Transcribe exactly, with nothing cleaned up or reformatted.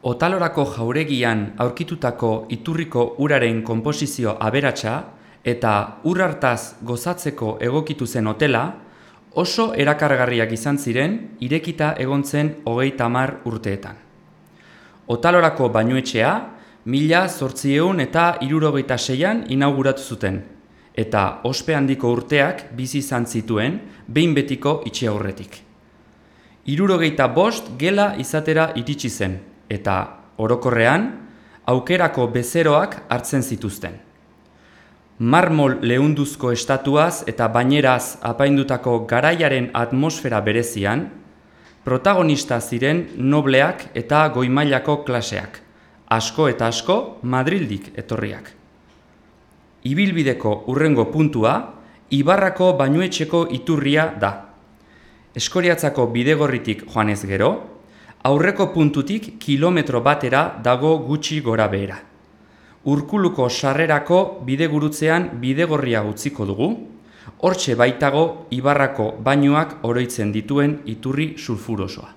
Otalorako jauregian aurkitutako iturriko uraren konposizio aberatsa eta ur hartaz gozatzeko egokitu zen hotela oso erakargarriak izan ziren irekita egon zen hogeita hamar urteetan. Otalorako bainuetxea mila zortziehun eta hirurogeita seian inauguratu zuten, eta ospe handiko urteak bizi izan zituen behin betiko itxi aurretik. Hirurogeita bost gela izatera iritsi zen, eta orokorrean aukerako bezeroak hartzen zituzten. Marmol leunduzko estatuaz eta baineraz apaindutako garaiaren atmosfera berezian, protagonista ziren nobleak eta goi-mailako klaseak, asko eta asko Madrildik etorriak. Ibilbideko hurrengo puntua, Ibarrako bainuetxeko iturria da. Eskoriatzako bidegorritik joanez gero, aurreko puntutik kilometro batera dago gutxi gora behera. Urkuluko sarrerako bidegurutzean bidegorria utziko dugu, hortxe baitago Ibarrako bainuak oroitzen dituen iturri sulfurosoa.